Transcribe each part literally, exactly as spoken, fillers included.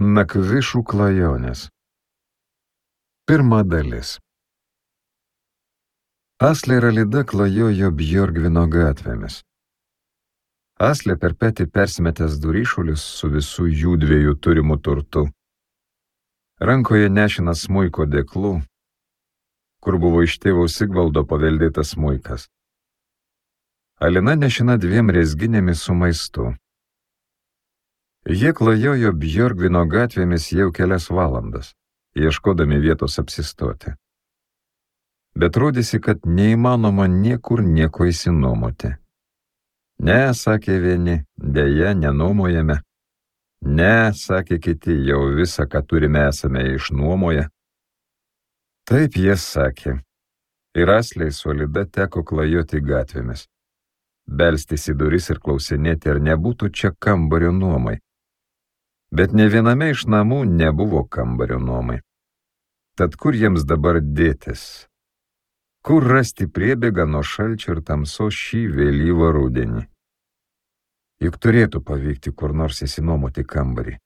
Nakvišų klajonės. Pirma dalis. Aslė ir Alida klajojo Bjorgvino gatvėmis. Aslė per petį persimetęs duryšulius su visų jų dviejų turimų turtu. Rankoje nešinas smuiko dėklų, kur buvo iš tėvo Sigvaldo paveldėtas smuikas. Alina nešina dviem rezginėmis su maistu. Jie klajojo Bjorgvino gatvėmis jau kelias valandas, ieškodami vietos apsistoti. Bet rodėsi, kad neįmanoma niekur nieko įsinuomoti. Ne, sakė vieni, dėja, nenuomojame. Ne, sakė kiti, jau visą, ką turime, esame išnuomoję. Taip jie sakė. Ir Aslei su Alida teko klajoti gatvėmis. Belstis į duris ir klausinėti, ar nebūtų čia kambario nuomai. Bet ne viename iš namų nebuvo kambario nuomai. Tad kur jiems dabar dėtis? Kur rasti priebėgą nuo šalčio ir tamsos šį vėlyvą rudenį? Juk turėtų pavykti kur nors įsinuomoti kambarį.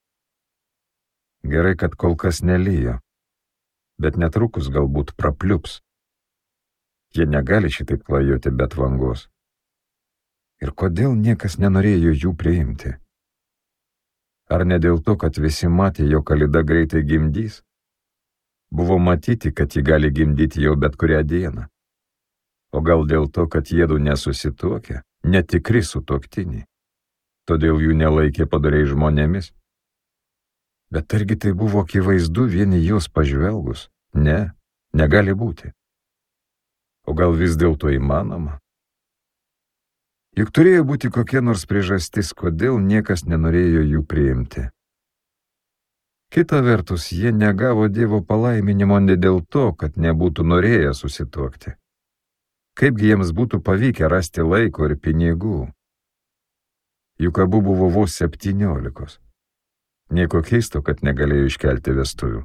Gerai, kad kol kas nelijo, bet netrukus galbūt prapliups. Jie negali šitaip klajoti be tvangos. Ir kodėl niekas nenorėjo jų priimti? Ar ne dėl to, kad visi matė, jog Alida greitai gimdys? Buvo matyti, kad ji gali gimdyti jau bet kurią dieną. O gal dėl to, kad jiedu nesusituokia, netikri sutuoktiniai. Todėl jų nelaikė padoriai žmonėmis. Bet argi tai buvo akivaizdu vieni jos pažvelgus? Ne, negali būti. O gal vis dėlto įmanoma? Juk turėjo būti kokia nors priežastis, kodėl niekas nenorėjo jų priimti. Kita vertus, jie negavo Dievo palaiminimo ne dėl to, kad nebūtų norėję susituokti. Kaipgi jiems būtų pavykę rasti laiko ir pinigų? Juk abu buvo vos septyniolikos. Nieko keisto, kad negalėjo iškelti vestuvių.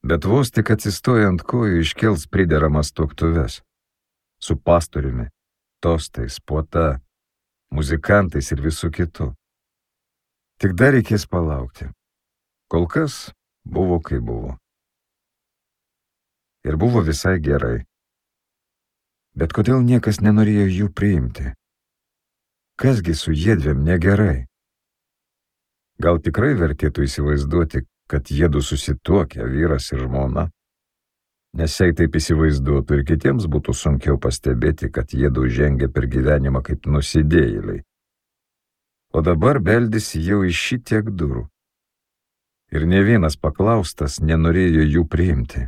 Bet vos tik atsistoja ant kojų iškels prideramas tuoktuves. Su pastoriumi, tostais, puota, muzikantais ir visų kitų. Tik dar reikės palaukti. Kol kas buvo kaip buvo. Ir buvo visai gerai. Bet kodėl niekas nenorėjo jų priimti? Kasgi su jiedviem negerai? Gal tikrai vertėtų įsivaizduoti, kad jiedu susituokia, vyras ir žmona? Nes jei taip įsivaizduotų ir kitiems būtų sunkiau pastebėti, kad jiedu žengia per gyvenimą kaip nusidėjėliai. O dabar beldėsi jau iš šitiek durų. Ir ne vienas paklaustas nenorėjo jų priimti.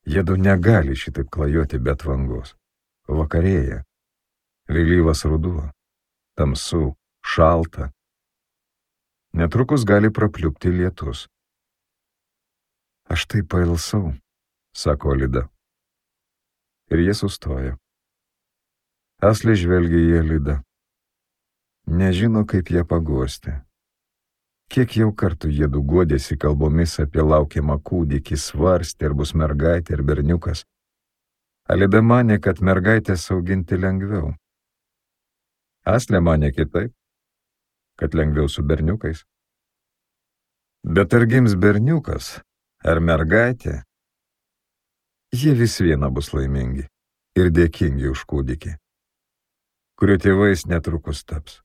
Jiedu negali šitaip klajoti be tvangos. Vakarėja, vėlyvas ruduo, tamsu, šalta. Netrukus gali prapliupti lietus. Aš tai pailsau, sako Alida. Ir jie sustojo. Aslė žvelgia į Alidą. Nežino, kaip ją paguosti. Kiek jau kartų jiedu guodėsi kalbomis apie laukiamą kūdikį, svarstė, ar bus mergaitė ar berniukas. Alida manė, kad mergaitės auginti lengviau. Aslė manė kitaip, kad lengviau su berniukais. Bet ar gims berniukas, ar mergaitė, jie vis viena bus laimingi ir dėkingi už kūdikį, kurio tėvais netrukus taps.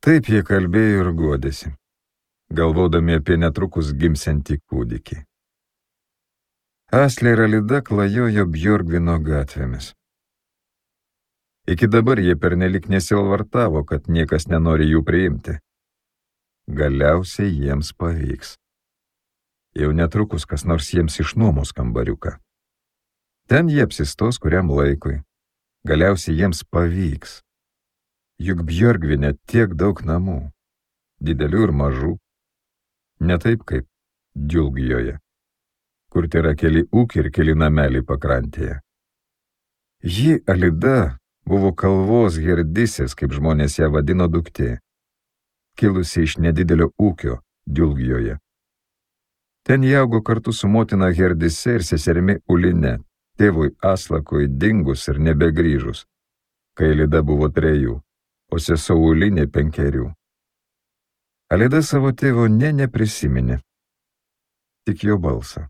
Taip jie kalbėjo ir guodėsi, galvodami apie netrukus gimsiantį kūdikį. Aslė ir Alida klajojo Bjorgvino gatvėmis. Iki dabar jie pernelik nesielvartavo, kad niekas nenori jų priimti. Galiausiai jiems pavyks. Jau netrukus kas nors jiems išnuomos kambariuką. Ten jie apsistos kuriam laikui. Galiausiai jiems pavyks. Juk Bjorgvine tiek daug namų, didelių ir mažų, ne taip kaip Džiulgijoje, kur tai yra keli ūkiai ir keli nameliai pakrantėje. Ji, Alida, buvo kalvos herdisės, kaip žmonės ją vadino, duktė, kilusi iš nedidelio ūkio Džiulgijoje. Ten jie augo kartu su motina herdise ir seserimi Uline, tėvui Aslakui dingus ir nebegrįžus, kai Alida buvo trejų, o sesuo Ulinė penkerių. Alida savo tėvo nė neprisiminė, tik jo balsą.